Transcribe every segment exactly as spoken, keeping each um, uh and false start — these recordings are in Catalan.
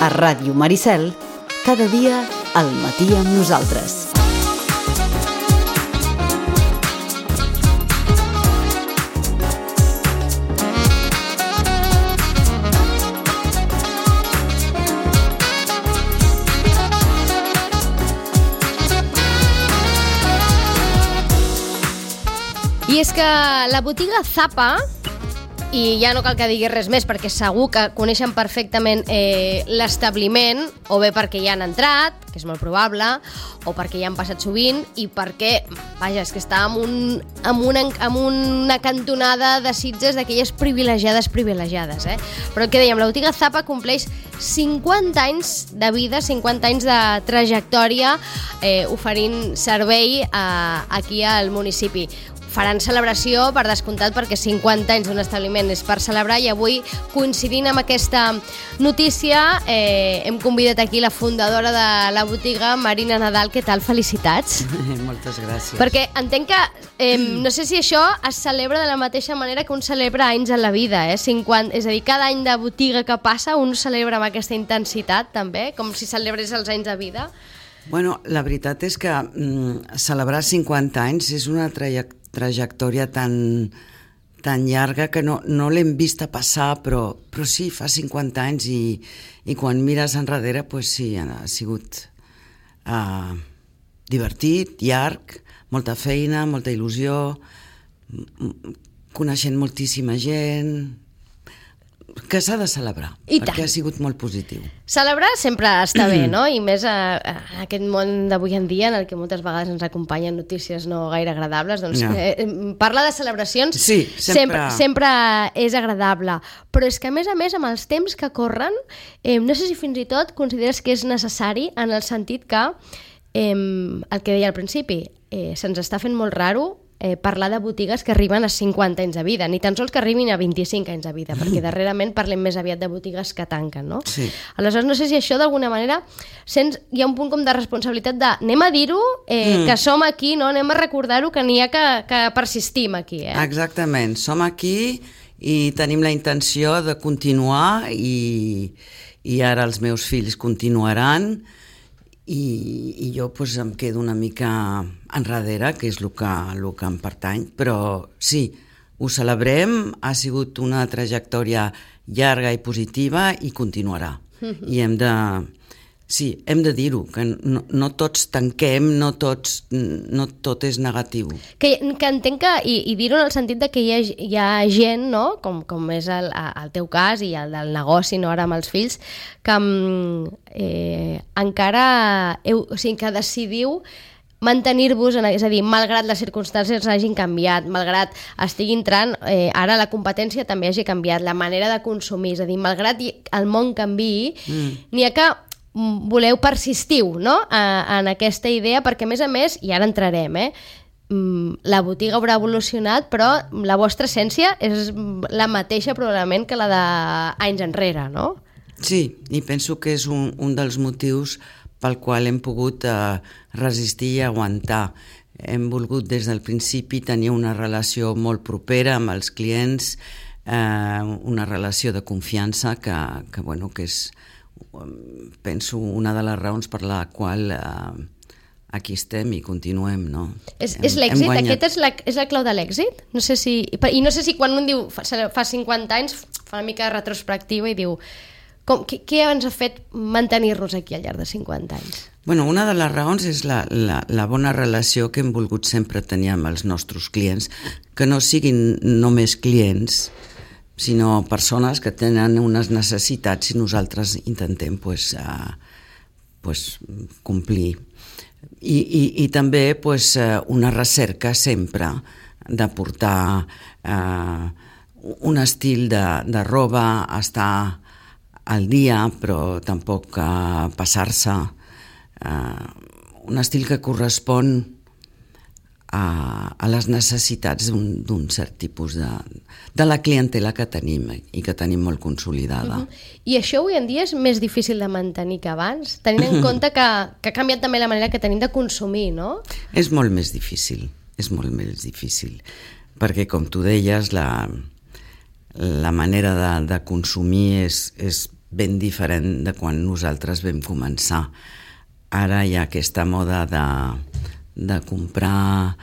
A Ràdio Maricel, cada dia al matí amb nosaltres. I és que la botiga Zapa, i ja no cal que digui res més perquè segur que coneixen perfectament eh, l'establiment, o bé perquè hi han entrat, que és molt probable, o perquè hi han passat sovint, i perquè, vaja, és que està en, un, en, una, en una cantonada de Sitges d'aquelles privilegiades privilegiades, eh? Però el que dèiem, la botiga Zapa compleix cinquanta anys de vida, cinquanta anys de trajectòria eh, oferint servei a, aquí al municipi. Faran celebració, per descomptat, perquè cinquanta anys d'un establiment és per celebrar, i avui, coincidint amb aquesta notícia, eh, hem convidat aquí la fundadora de la botiga, Marina Nadal. Què tal? Felicitats. Moltes gràcies. Perquè entenc que, eh, no sé si això es celebra de la mateixa manera que un celebra anys en la vida, eh? cinquanta, és a dir, cada any de botiga que passa un celebra amb aquesta intensitat, també, com si celebrés els anys de vida. Bueno, la veritat és que mm, celebrar cinquanta anys és una trajectòria trajectòria tan, tan llarga que no, no l'hem vista passar, però, però sí, fa cinquanta anys, i, i quan mires enrere, pues sí, ha sigut uh, divertit, llarg, molta feina, molta il·lusió, coneixent moltíssima gent, que s'ha de celebrar, I perquè tant. Ha sigut molt positiu. Celebrar sempre està bé, no? I més a, a aquest món d'avui en dia en el que moltes vegades ens acompanyen notícies no gaire agradables, doncs No. eh, parlar de celebracions Sí, sempre... sempre, sempre és agradable, però és que a més a més amb els temps que corren, eh, no sé si fins i tot consideres que és necessari, en el sentit que eh, el que deia al principi, eh, se'ns està fent molt raro Eh, parlar de botigues que arriben a cinquanta anys de vida, ni tan sols que arribin a vint-i-cinc anys de vida, perquè darrerament parlem més aviat de botigues que tanquen, no? Sí. Aleshores, no sé si això d'alguna manera sents, hi ha un punt com de responsabilitat de anem a dir-ho, eh, mm. que som aquí, no? Anem a recordar-ho, que n'hi ha que, que persistim aquí, eh? Exactament, som aquí i tenim la intenció de continuar, i, i ara els meus fills continuaran, i, i jo pues, em quedo una mica enrere, que és el que, el que em pertany, però sí, ho celebrem, ha sigut una trajectòria llarga i positiva i continuarà. Mm-hmm. I hem de... Sí, hem de dir-ho, que no, no tots tanquem, no, tots, no tot és negatiu. Que, que entenc que, i, i dir-ho en el sentit de que hi ha, hi ha gent, no? com, com és el, el teu cas i el del negoci, no ara amb els fills, que eh, encara heu, o sigui, que decidiu mantenir-vos, és a dir, malgrat les circumstàncies hagin canviat, malgrat estigui entrant, eh, ara la competència també hagi canviat, la manera de consumir, és a dir, malgrat el món canviï, mm. n'hi ha que voleu persistiu, no? A, en aquesta idea, perquè a més a més, i ara entrarem, eh? la botiga haurà evolucionat, però la vostra essència és la mateixa probablement que la d'anys enrere, no? Sí, i penso que és un, un dels motius pel qual hem pogut eh, resistir i aguantar. Hem volgut des del principi tenir una relació molt propera amb els clients, eh, una relació de confiança que, que, bueno, que és, penso, una de les raons per la qual eh, aquí estem i continuem, no? És, és l'èxit? Aquest és la, és la clau de l'èxit? No sé si, I no sé si quan un diu fa, fa cinquanta anys fa una mica de retrospectiva i diu com, què, què ens ha fet mantenir-nos aquí al llarg de cinquanta anys? Bueno, una de les raons és la, la, la bona relació que hem volgut sempre tenir amb els nostres clients, que no siguin només clients, sinó persones que tenen unes necessitats i nosaltres intentem pues, uh, pues, complir. I, i, i també pues, uh, una recerca sempre de portar uh, un estil de, de roba, estar al dia, però tampoc uh, passar-se. Uh, un estil que correspon A, a les necessitats d'un cert tipus de, de la clientela que tenim i que tenim molt consolidada. Uh-huh. I això avui en dia és més difícil de mantenir que abans, tenint en compte que, que ha canviat també la manera que tenim de consumir, no? És molt més difícil, és molt més difícil, perquè com tu deies, la, la manera de, de consumir és, és ben diferent de quan nosaltres vam començar. Ara hi ha aquesta moda de, de comprar,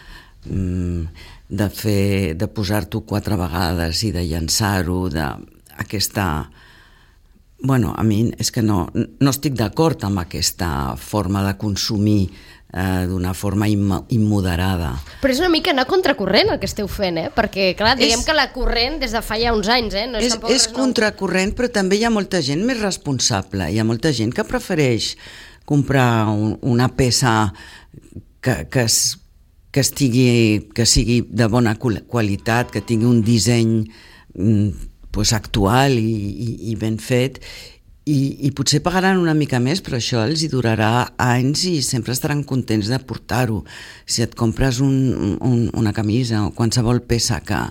de fer, de posar-t'ho quatre vegades i de llançar-ho, d'aquesta... Bueno, a mi és que no, no estic d'acord amb aquesta forma de consumir eh, d'una forma immo immoderada. Però és una mica anar contracorrent el que esteu fent, eh? Perquè, clar, diguem és, que la corrent des de fa ja uns anys, eh? No és, és, és contracorrent, però també hi ha molta gent més responsable. Hi ha molta gent que prefereix comprar un, una peça que, que, es, que, estigui, que sigui de bona qualitat, que tingui un disseny pues, actual i, i, i ben fet, i, i potser pagaran una mica més, però això els hi durarà anys i sempre estaran contents de portar-ho. Si et compres un, un, una camisa o qualsevol peça que,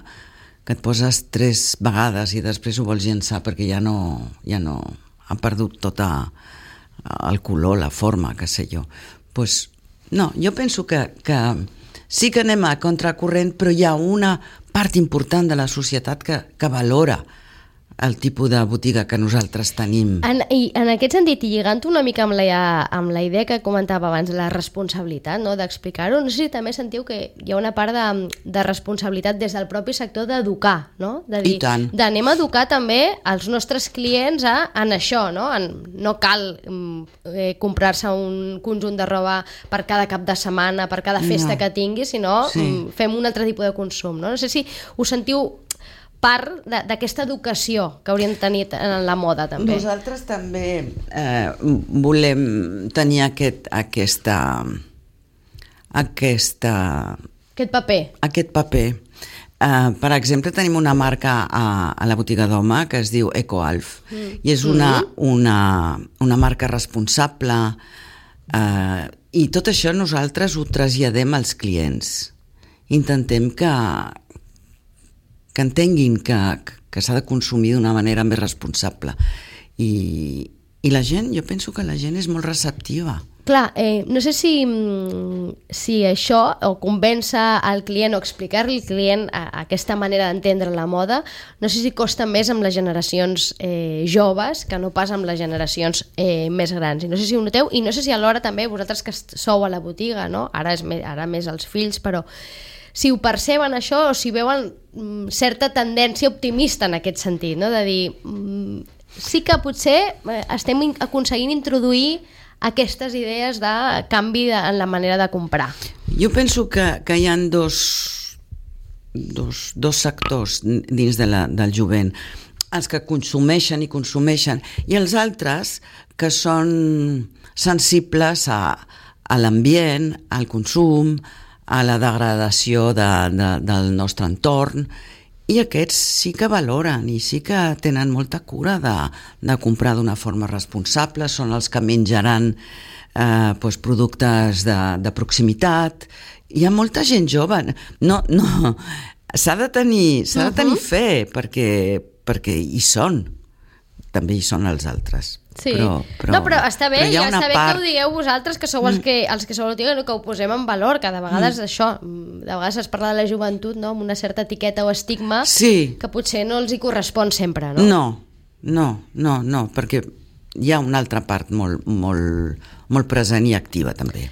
que et poses tres vegades i després ho vols llençar perquè ja no, ja no ha perdut tota el color, la forma, que sé jo. Pues, no, jo penso que, que sí que anem a contracorrent, però hi ha una part important de la societat que, que valora el tipus de botiga que nosaltres tenim. En, i en aquest sentit, i lligant una mica amb la, amb la idea que comentava abans, la responsabilitat, no?, d'explicar-ho, no sé si també sentiu que hi ha una part de, de responsabilitat des del propi sector d'educar, no? De dir, I tant. D'anem a educar també els nostres clients a, en això, no? En, no cal eh, comprar-se un conjunt de roba per cada cap de setmana, per cada festa no. que tingui, sinó sí. fem un altre tipus de consum, no? No sé si us sentiu part d'aquesta educació que hauríem de tenir en la moda, també. Nosaltres també eh, volem tenir aquest, aquesta, aquesta... Aquest paper. Aquest paper. Eh, per exemple, tenim una marca a, a la botiga d'home que es diu EcoAlf, mm. i és una, mm. una, una marca responsable, eh, i tot això nosaltres ho traslladem als clients. Intentem que que entenguin que, que s'ha de consumir d'una manera més responsable. I, i la gent, jo penso que la gent és molt receptiva. Clar, eh, no sé si, si això, o convèncer al client o explicar-li al client a, a aquesta manera d'entendre la moda, no sé si costa més amb les generacions eh, joves que no pas amb les generacions eh, més grans. I no sé si ho noteu, i no sé si alhora també vosaltres que sou a la botiga, no? Ara, és més, ara més els fills, però si ho perceben això o si veuen mm, certa tendència optimista en aquest sentit, no? De dir, mm, sí que potser eh, estem aconseguint introduir aquestes idees de canvi de, en la manera de comprar. Jo penso que, que hi ha dos, dos, dos sectors dins de la, del jovent, els que consumeixen i consumeixen, i els altres que són sensibles a, a l'ambient, al consum, a la degradació de, de, del nostre entorn, i aquests sí que valoren i sí que tenen molta cura de, de comprar d'una forma responsable, són els que menjaran eh, doncs productes de, de proximitat. Hi ha molta gent jove, no, no, s'ha de tenir, s'ha de tenir fe, perquè, perquè hi són, també hi són els altres. Sí. Però, però, no, però està bé, però ja està bé part... que ho digueu vosaltres, que sou els que, els que sou la botiga, que ho posem en valor, que de vegades mm. això, de vegades es parla de la joventut, no?, amb una certa etiqueta o estigma sí. que potser no els hi correspon sempre, no? No, no, no, no, perquè hi ha una altra part molt, molt, molt present i activa també.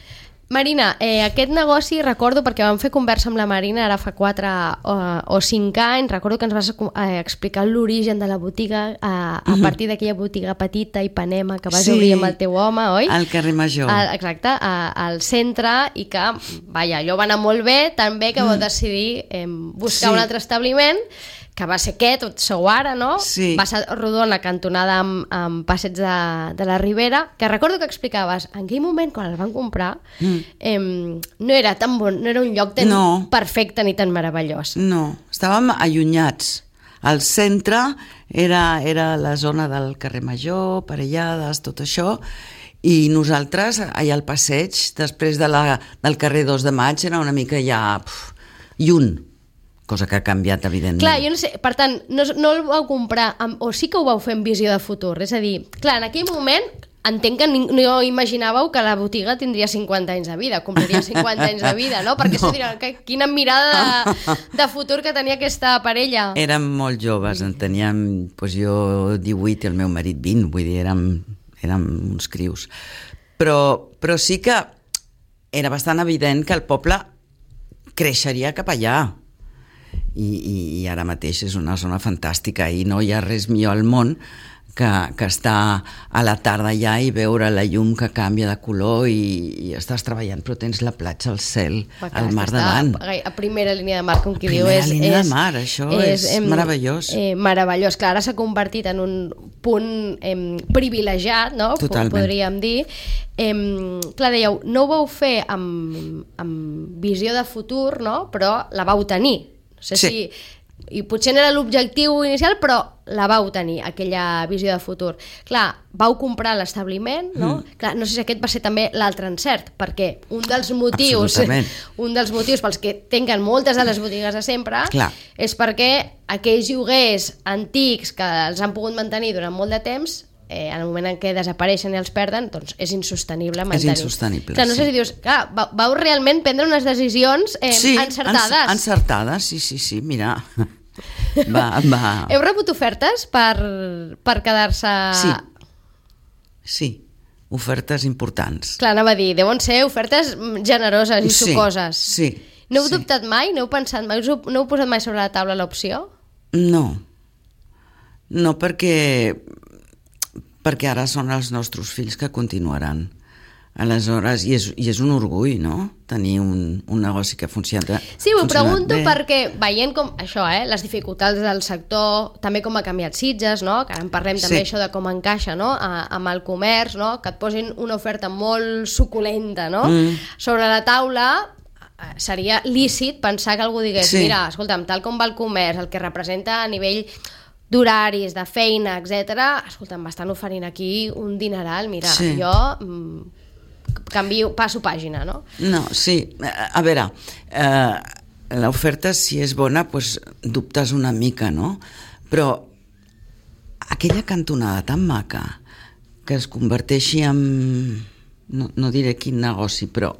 Marina, eh, aquest negoci, recordo, perquè vam fer conversa amb la Marina ara fa quatre o, o cinc anys, recordo que ens vas eh, explicar l'origen de la botiga eh, a uh-huh. partir d'aquella botiga petita i Ipanema que vas sí, obrir amb el teu home, oi? Al carrer Major. A, exacte, a, al centre, i que, vaja, allò va anar molt bé, tan bé que vau decidir eh, buscar sí. un altre establiment, que va ser aquest, on sou ara, no? Sí. Va ser rodona, cantonada amb, amb Passeig de, de la Ribera, que recordo que explicaves, en aquell moment, quan el van comprar, mm. eh, no era tan bon, no era un lloc tan no. perfecte ni tan meravellós. No, estàvem allunyats. Al centre era, era la zona del carrer Major, Parellades, tot això, i nosaltres, allà al passeig, després de la, del carrer dos de maig, era una mica ja pf, lluny, cosa que ha canviat, evidentment. Clar, jo no sé, per tant, no, no el vau comprar, amb, o sí que ho vau fer en visió de futur, és a dir, clar, en aquell moment entenc que no imaginàveu que la botiga tindria cinquanta anys de vida, compliria cinquanta anys de vida, no? Perquè no. Diran, que, quina mirada de, de futur que tenia aquesta parella. Érem molt joves, en teníem, doncs jo divuit i el meu marit vint, vull dir, érem, érem uns crius. Però, però sí que era bastant evident que el poble creixeria cap allà. I, i, i ara mateix és una zona fantàstica i no hi ha res millor al món que, que estar a la tarda allà i veure la llum que canvia de color i, i estàs treballant però tens la platja, el cel, clar, el mar davant. A primera línia de mar, com qui a diu. Primera és, línia és, de mar, això és, és meravellós. Eh, meravellós, clar, ara s'ha convertit en un punt eh, privilegiat, no? Totalment. Podríem dir. Eh, clar, dèieu, no ho vau fer amb, amb visió de futur, no? Però la vau tenir. No sé sí. si... I potser no era l'objectiu inicial, però la vau tenir, aquella visió de futur. Clar, vau comprar l'establiment, no? Mm. Clar, no sé si aquest va ser també l'altre encert, perquè un dels motius un dels motius pels que tanquen moltes de les botigues de sempre Clar. és perquè aquells lloguers antics que els han pogut mantenir durant molt de temps, eh, en el moment en què desapareixen i els perden, doncs és insostenible mantenir. És insostenible, clar, no sé sí. si dius, clar, vau, vau realment prendre unes decisions eh, sí, encertades. Sí, encertades, sí, sí, sí, mira... Va, va. Heu rebut ofertes per, per quedar-se... Sí, sí, ofertes importants. Clar, anava a dir, deuen ser ofertes generoses i sí, sucoses. Sí, no heu sí. dubtat mai? No heu pensat mai? No heu posat mai sobre la taula l'opció? No, no perquè, perquè ara són els nostres fills que continuaran. Aleshores, i és, i és un orgull, no?, tenir un, un negoci que funciona. Sí, ho pregunto bé. Perquè veient com això, eh, les dificultats del sector, també com ha canviat Sitges, no?, que ara en parlem també sí. això de com encaixa, no?, a, amb el comerç, no?, que et posin una oferta molt suculenta, no?, mm. sobre la taula, seria lícit pensar que algú digués, sí. mira, escolta'm, tal com va el comerç, el que representa a nivell d'horaris, de feina, etcètera, escolta'm, m'estan oferint aquí un dineral, mira, sí. jo... Mm, canvio, passo pàgina, no? No, sí, a veure, eh, l'oferta si és bona, doncs dubtes una mica, no? Però aquella cantonada tan maca que es converteixi en... No, no diré quin negoci, però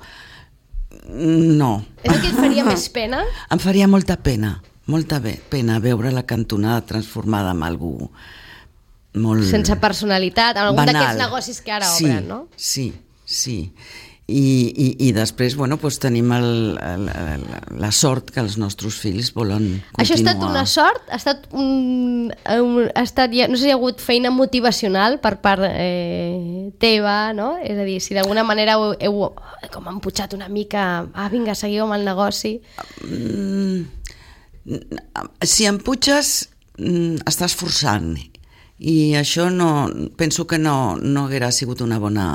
no. És el que et faria més pena? Em faria molta pena, molta pena veure la cantonada transformada en algú molt... Sense personalitat, en algun d'aquests negocis que ara sí, obren, no? Sí, sí. I, i, i després, bueno, doncs tenim el, el, el, la sort que els nostres fills volen continuar. Això ha estat una sort? Ha estat un, un, ha estat, no sé si hi ha hagut feina motivacional per part eh, teva, no? És a dir, si d'alguna manera heu, heu com emputxat una mica, ah, vinga, seguiu amb el negoci. Mm, si emputxes, estàs forçant. I això no, penso que no, no haguera sigut una bona...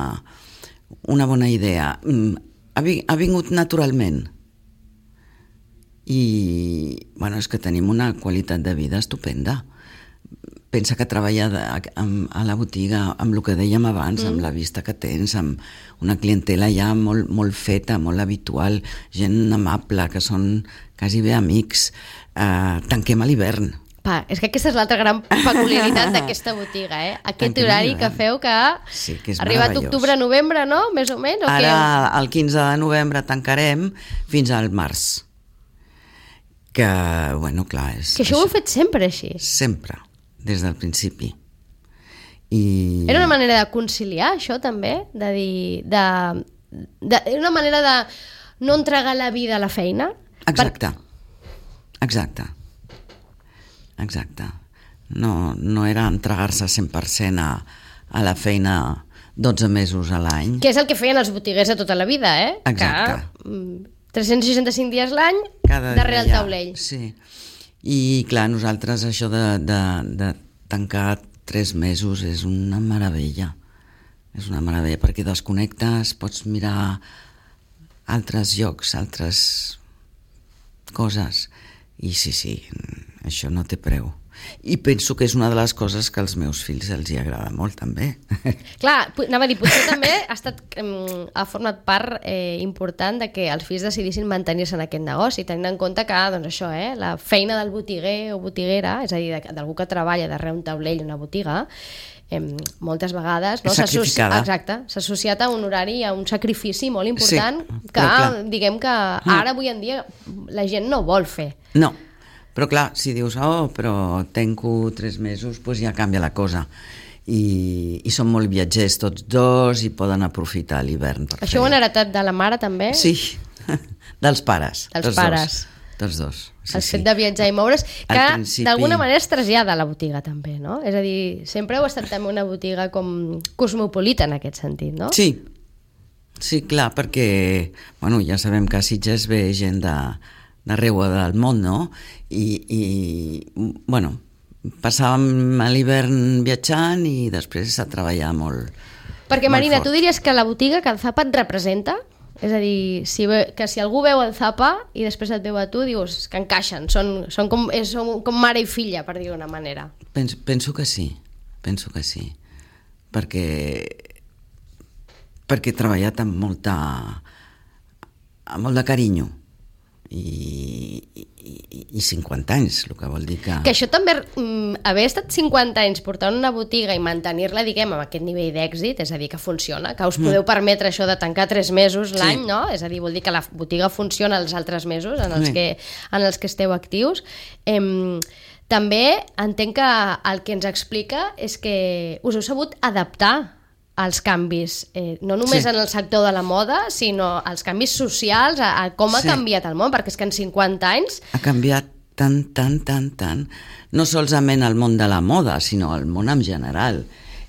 una bona idea. Ha vingut naturalment i bueno, és que tenim una qualitat de vida estupenda. Pensa que treballar a la botiga amb el que dèiem abans, mm. amb la vista que tens, amb una clientela ja molt, molt feta, molt habitual, gent amable, que són quasi bé amics. Eh, tanquem a l'hivern. Pa, és que aquesta és l'altra gran peculiaritat d'aquesta botiga, eh? Aquest Tanquem horari que feu que, sí, que ha arribat octubre-novembre, no? Més o menys? O Ara, què? El quinze de novembre tancarem fins al març. Que, bueno, clar... És, que això ho heu fet sempre així? Sempre, des del principi. I... Era una manera de conciliar, això, també? De dir... De, de, una manera de no entregar la vida a la feina? Exacte. Per... Exacte. Exacte. No, no era entregar-se cent per cent a, a la feina dotze mesos a l'any. Que és el que feien els botiguers de tota la vida, eh? Exacte. Que, tres-cents seixanta-cinc dies l'any darrere el taulell. Sí. I clar, nosaltres això de, de, de tancar tres mesos és una meravella. És una meravella perquè desconnectes, pots mirar altres llocs, altres coses. I sí, sí, això no té preu. I penso que és una de les coses que als meus fills els hi agrada molt, també. Clar, anava a dir, potser també ha, estat, ha format part eh, important de que els fills decidissin mantenir-se en aquest negoci, tenint en compte que, doncs això, eh, la feina del botiguer o botiguera, és a dir, d'algú que treballa darrere un taulell, una botiga, eh, moltes vegades no, sacrificada. Exacte, s'ha associat a un horari, a un sacrifici molt important, sí, que clar. diguem que ara avui en dia la gent no vol fer. No, però clar, si dius, oh, però tenco tres mesos, doncs ja canvia la cosa. I, i són molt viatgers tots dos i poden aprofitar l'hivern per Això fer. ho han heretat de la mare també? Sí, dels pares. Dels tots pares. Dos. Tots dos. Sí, El sí. fet de viatjar i moure's, que principi... d'alguna manera es trasllada a la botiga també, no? És a dir, sempre heu estat també una botiga com cosmopolita en aquest sentit, no? Sí, sí, clar, perquè bueno, ja sabem que a Sitges ve gent de, d'arreu del món, no? I, i bueno, passàvem a l'hivern viatjant i després a treballar molt. Perquè, Marina, molt tu diries que la botiga que el Zapa et representa? És a dir, si ve, que si algú veu el Zapa i després et veu a tu, dius que encaixen, són, són, com, és, són com mare i filla, per dir d'una manera. Penso, penso que sí, penso que sí, perquè perquè he treballat amb molta amb molt de carinyo i, i, i cinquanta anys, el que vol dir que... Que això també, mm, haver estat cinquanta anys portant una botiga i mantenir-la, diguem, amb aquest nivell d'èxit, és a dir, que funciona, que us podeu mm. permetre això de tancar tres mesos l'any, sí. no? És a dir, vol dir que la botiga funciona els altres mesos en els, sí. que, en els que esteu actius. Em, també entenc que el que ens explica és que us heu sabut adaptar als canvis, eh, no només sí. en el sector de la moda, sinó als canvis socials, a, a com ha sí. canviat el món, perquè és que en cinquanta anys... Ha canviat tant, tant, tant, tant, no solament el món de la moda, sinó el món en general.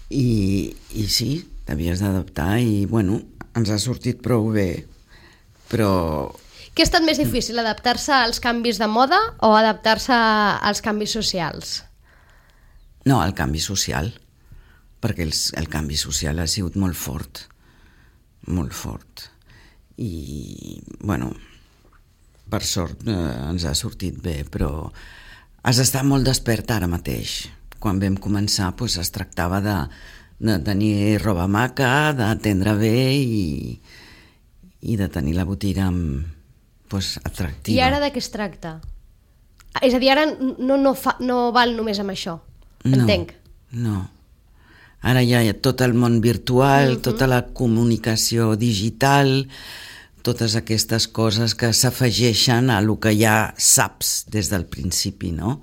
I, i sí, t'havies d'adaptar i, bueno, ens ha sortit prou bé, però... Què ha estat més difícil, adaptar-se als canvis de moda o adaptar-se als canvis socials? No, al canvi social, perquè el, el canvi social ha sigut molt fort, molt fort. I, bueno, per sort eh, ens ha sortit bé, però has d'estar molt despert ara mateix. Quan vam començar doncs, es tractava de, de tenir roba maca, d'atendre bé i, i de tenir la botiga amb, doncs, atractiva. I ara de què es tracta? És a dir, ara no, no, fa, no val només amb això, entenc. No, no. Ara ja hi ha tot el món virtual, uh-huh. tota la comunicació digital, totes aquestes coses que s'afegeixen a el que ja saps des del principi, no?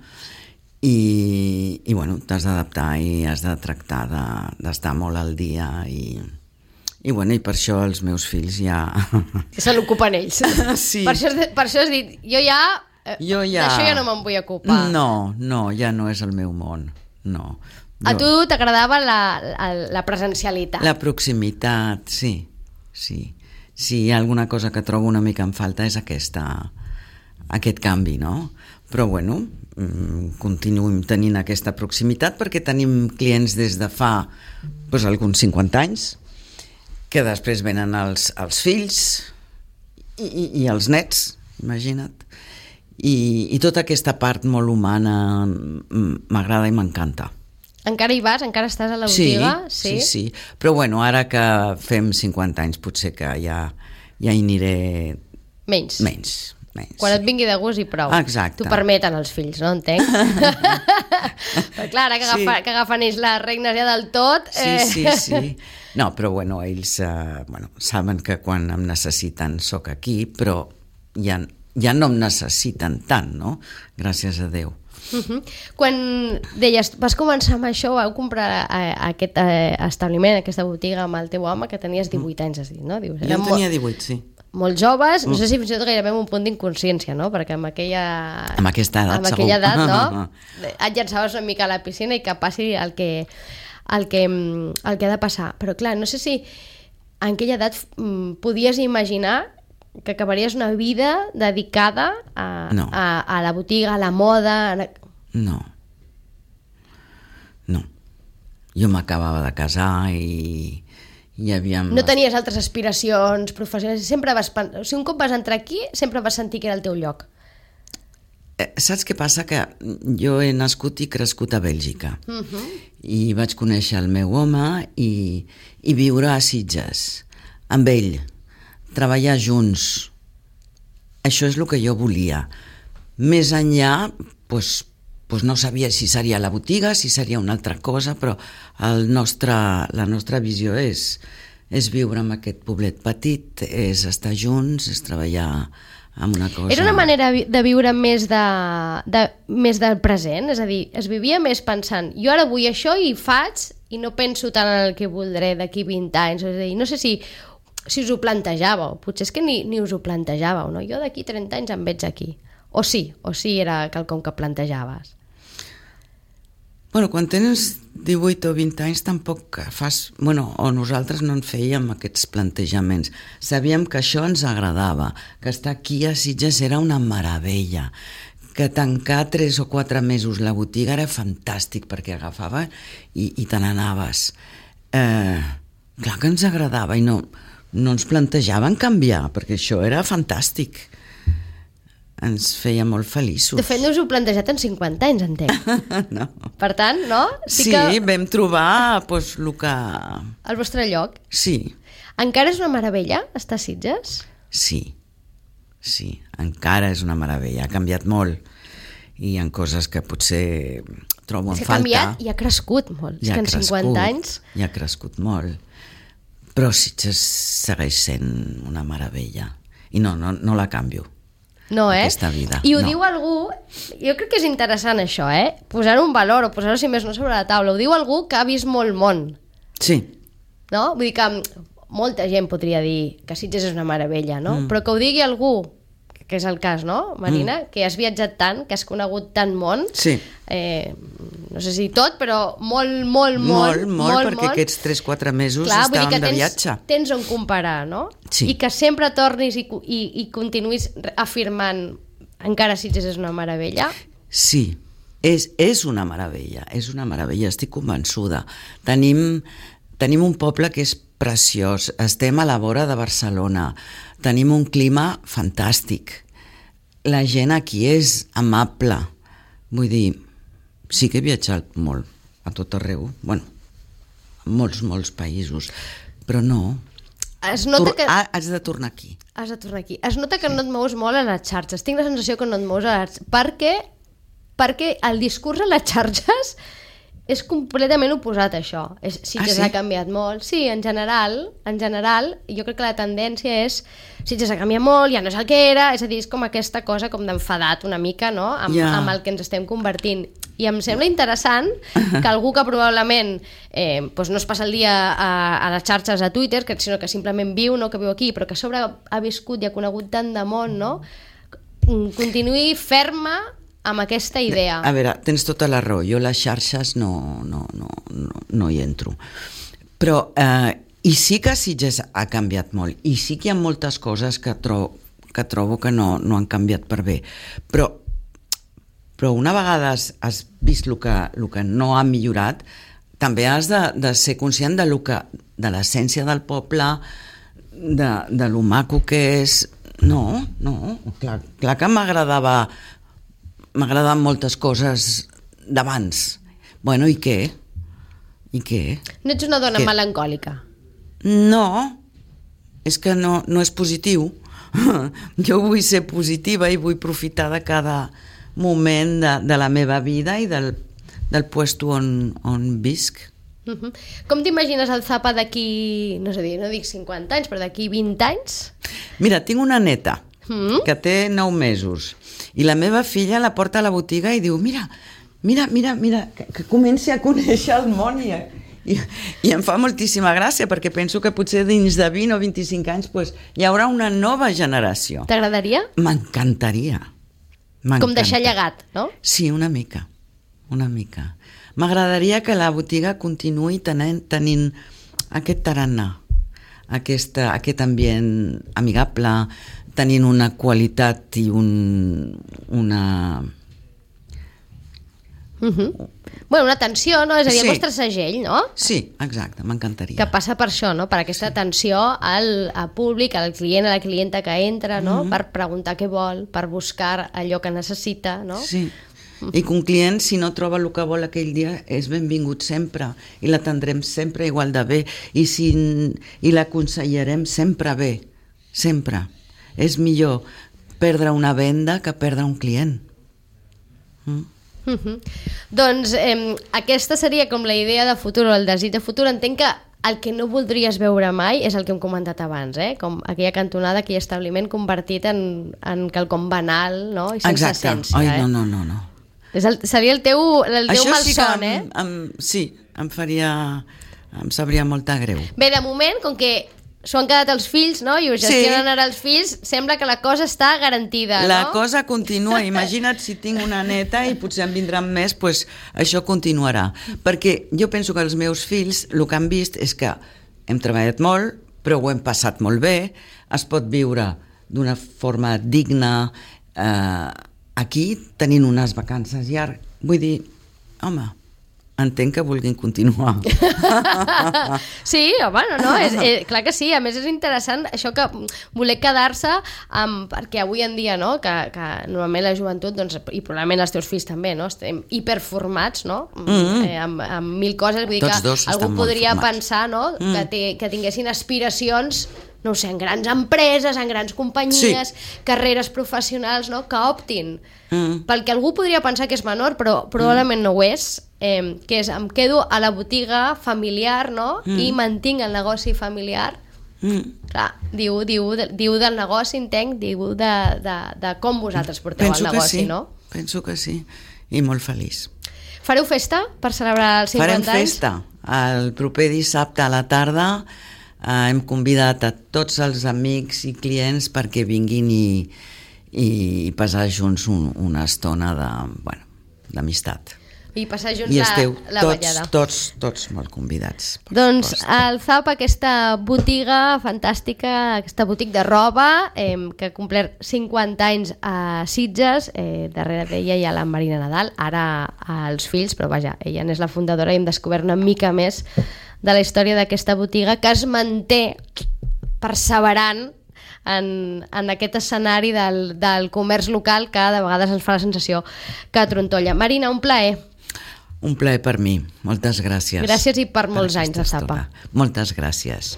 I, i bueno, t'has d'adaptar i has de tractar de, d'estar molt al dia i, i, bueno, i per això els meus fills ja... Se l'ocupen ells. Sí. Per això, per això has dit, jo ja... Jo ja... D'això ja no me'n vull ocupar. No, no, ja no és el meu món, no. A tu t'agradava la, la, la presencialitat. La proximitat, sí, sí. Si hi ha alguna cosa que trobo una mica en falta és aquesta, aquest canvi, no? Però, bueno, continuem tenint aquesta proximitat perquè tenim clients des de fa doncs, alguns cinquanta anys, que després venen els, els fills i, i, i els nets, imagina't. I, i tota aquesta part molt humana m'agrada i m'encanta. Encara hi vas? Encara estàs a la botiga? Sí, sí, sí. Però bueno, ara que fem cinquanta anys potser que ja, ja hi aniré... Menys. Menys. menys Quan sí. et vingui de gust i prou. Exacte. T'ho permeten els fills, no? Entenc. Però clar, ara que, sí. agafa, que agafen ells les regnes ja del tot... Eh... Sí, sí, sí. No, però bueno, ells eh, bueno, saben que quan em necessiten sóc aquí, però ja, ja no em necessiten tant, no? Gràcies a Déu. Uh-huh. Quan deies, vas començar amb això, vau comprar eh, aquest eh, establiment, aquesta botiga amb el teu home, que tenies divuit anys, has dit, no? Dius, jo en tenia divuit, sí. Molt joves, no sé si fins i tot gairebé amb un punt d'inconsciència, no? Perquè amb aquella... Amb aquesta edat, amb aquella edat, no? Et llançaves una mica a la piscina i que passi el que, el que, el que ha de passar. Però clar, no sé si en aquella edat podies imaginar que acabaries una vida dedicada a, no. a, a la botiga, a la moda... A... No. No. Jo m'acabava de casar i hi havia... No tenies altres aspiracions professionals? Sempre vas... O sigui, un cop vas entrar aquí, sempre vas sentir que era el teu lloc. Eh, saps què passa? Que jo he nascut i crescut a Bèlgica. Uh-huh. I vaig conèixer el meu home i, i viure a Sitges, amb ell, treballar junts. Això és el que jo volia. Més enllà, doncs, doncs no sabia si seria la botiga, si seria una altra cosa, però el nostre, la nostra visió és, és viure en aquest poblet petit, és estar junts, és treballar amb una cosa... Era una manera de viure més, de, de, més del present? És a dir, es vivia més pensant, jo ara vull això i faig, i no penso tant en el que voldré d'aquí vint anys. És a dir, no sé si, si us ho plantejàveu, potser és que ni, ni us ho plantejàveu, no? Jo d'aquí trenta anys em veig aquí. O sí, o sí era quelcom que plantejaves? Bueno, quan tens divuit o vint anys tampoc fas... Bueno, o nosaltres no en fèiem aquests plantejaments. Sabíem que això ens agradava, que estar aquí a Sitges era una meravella, que tancar tres o quatre mesos la botiga era fantàstic perquè agafava i, i te n'anaves. Eh, clar que ens agradava i no, no ens plantejaven canviar, perquè això era fantàstic. Ens feia molt feliços. De fet, no us ho plantejat en cinquanta anys, entenc. No. Per tant, no? Sí, sí que... vam trobar pues, el que... El vostre lloc. Sí. Encara és una meravella estar a Sitges? Sí, sí, encara és una meravella. Ha canviat molt i hi ha coses que potser trobo en falta. És que ha canviat i ha crescut molt. I és que en crescut, cinquanta anys... I ha crescut molt. Però Sitges segueix sent una meravella. I no, no, no la canvio. No, eh? Aquesta vida. I ho no. diu algú, jo crec que és interessant això, eh? Posar-ho en valor o posar-ho, si més no, sobre la taula. Ho diu algú que ha vist molt món. Sí. No? Vull dir que molta gent podria dir que Sitges és una meravella, no? Mm. Però que ho digui algú, que és el cas, no, Marina? Mm. Que has viatjat tant, que has conegut tant món. Sí. Eh, no sé si tot, però molt, molt, molt. Molt, molt, molt perquè molt. aquests tres quatre mesos Clar, estàvem vull dir que de tens, viatge. Tens on comparar, no? Sí. I que sempre tornis i, i, i continuïs afirmant encara Sitges és una meravella. Sí, és, és una meravella, és una meravella, estic convençuda. Tenim, tenim un poble que és preciós, estem a la vora de Barcelona, tenim un clima fantàstic, la gent aquí és amable, vull dir, sí que he viatjat molt, a tot arreu, bueno, a molts, molts països, però no, es nota Tur- que... ah, has de tornar aquí. Has de tornar aquí. Es nota que no et mous molt a les xarxes, tinc la sensació que no et mous a les xarxes, perquè, perquè el discurs a les xarxes és completament oposat a això. És, Sitges Ah, sí? ha canviat molt. Sí, en general, en general, jo crec que la tendència és Sitges ha canviat molt, ja no és el que era, és a dir, és com aquesta cosa com d'enfadat una mica, no?, amb, Ja. amb el que ens estem convertint. I em sembla interessant que algú que probablement eh, doncs no es passa el dia a, a les xarxes, a Twitter, que, sinó que simplement viu, no que viu aquí, però que a sobre ha viscut i ha conegut tant de món, no?, continuï ferma amb aquesta idea. A veure, tens tota la raó, jo les xarxes no, no, no, no, no hi entro. Però, eh, i sí que Sitges ha canviat molt, i sí que hi ha moltes coses que, tro que trobo que no, no han canviat per bé, però, però una vegada has, has vist el que, el que no ha millorat, també has de, de ser conscient de, lo que, de l'essència del poble, de, de lo maco que és. No, no, clar, clar que m'agradava m'agraden moltes coses d'abans. Bueno, i què? I què? No ets una dona Què? melancòlica. No, és que no, no és positiu. Jo vull ser positiva i vull profitar de cada moment de, de la meva vida i del, del puesto on, on visc. Uh-huh. Com t'imagines el Zapa d'aquí, no sé dir, no dic cinquanta anys, però d'aquí vint anys? Mira, tinc una neta Mm? que té nou mesos i la meva filla la porta a la botiga i diu, mira, mira, mira, mira que, que comenci a conèixer el món i, i, i em fa moltíssima gràcia perquè penso que potser dins de vint o vint-i-cinc anys pues, hi haurà una nova generació. T'agradaria? M'encantaria. Com deixar llegat, no? Sí, una mica, una mica. M'agradaria que la botiga continuï tenint, tenint aquest tarannà, aquesta, aquest ambient amigable, tenint una qualitat i un, una... Uh-huh. Bueno, una atenció, no? És a dir, Sí. el vostre segell, no? Sí, exacte, m'encantaria. Que passa per això, no? Per aquesta atenció al, al públic, al client, a la clienta que entra, no? Mhm. Per preguntar què vol, per buscar allò que necessita, no? Sí, i que un client, si no troba el que vol aquell dia, és benvingut sempre i l'atendrem sempre igual de bé i, si, i l'aconsellarem sempre bé, sempre. És millor perdre una venda que perdre un client. Mm? Uh-huh. Doncs eh, aquesta seria com la idea de futur o el desig de futur. Entenc que el que no voldries veure mai és el que hem comentat abans, eh? Com aquella cantonada, aquell establiment convertit en, en quelcom banal, no? I sense Exacte. essència. Ai, eh? no, no, no, no. És el, seria el teu, el teu Això sí que malson, em, eh? em, sí, em faria... em sabria molta greu. Bé, de moment, com que s'ho han quedat els fills, no? I ho gestionen Sí. ara els fills, sembla que la cosa està garantida, La no? cosa continua. Imagina't si tinc una neta i potser en vindran més, doncs això continuarà. Perquè jo penso que els meus fills el que han vist és que hem treballat molt, però ho hem passat molt bé, es pot viure d'una forma digna eh, aquí, tenint unes vacances llargues. Vull dir, home, entenc que vulguin continuar. Sí, home, no, no, és, és, clar que sí, a més és interessant això que voler quedar-se amb, perquè avui en dia, no, que, que normalment la joventut, doncs, i probablement els teus fills també, no, estem hiperformats, no, mm-hmm. eh, amb, amb mil coses, vull dir Tots que dos algú estan molt podria formats. pensar, no, mm. que, té, que tinguessin aspiracions, no ho sé, en grans empreses, en grans companyies, sí. carreres professionals, no, que optin mm. pel que algú podria pensar que és menor, però probablement mm. no ho és, eh, que és, em quedo a la botiga familiar, no?, mm. i mantinc el negoci familiar. Mm. Clar, diu, diu, diu del negoci, entenc, diu de, de, de com vosaltres porteu Penso el negoci, sí. no? Penso que sí, i molt feliç. Fareu festa per celebrar els cinquanta Farem anys? festa. El proper dissabte a la tarda eh, hem convidat a tots els amics i clients perquè vinguin i, i passar junts un, una estona de, bueno, d'amistat. I passar junts I la, esteu la tots, ballada. tots, tots molt convidats. Doncs el Zap, aquesta botiga fantàstica, aquesta botiga de roba eh, que ha complert cinquanta anys a Sitges, eh, darrere d'ella hi ha la Marina Nadal, ara els fills, però vaja, ella n'és la fundadora i hem descobert una mica més de la història d'aquesta botiga que es manté perseverant en, en aquest escenari del, del comerç local que de vegades ens fa la sensació que trontolla. Marina, un plaer. Un plaer per mi. Moltes gràcies. Gràcies i per molts per anys de Zapa. Moltes gràcies.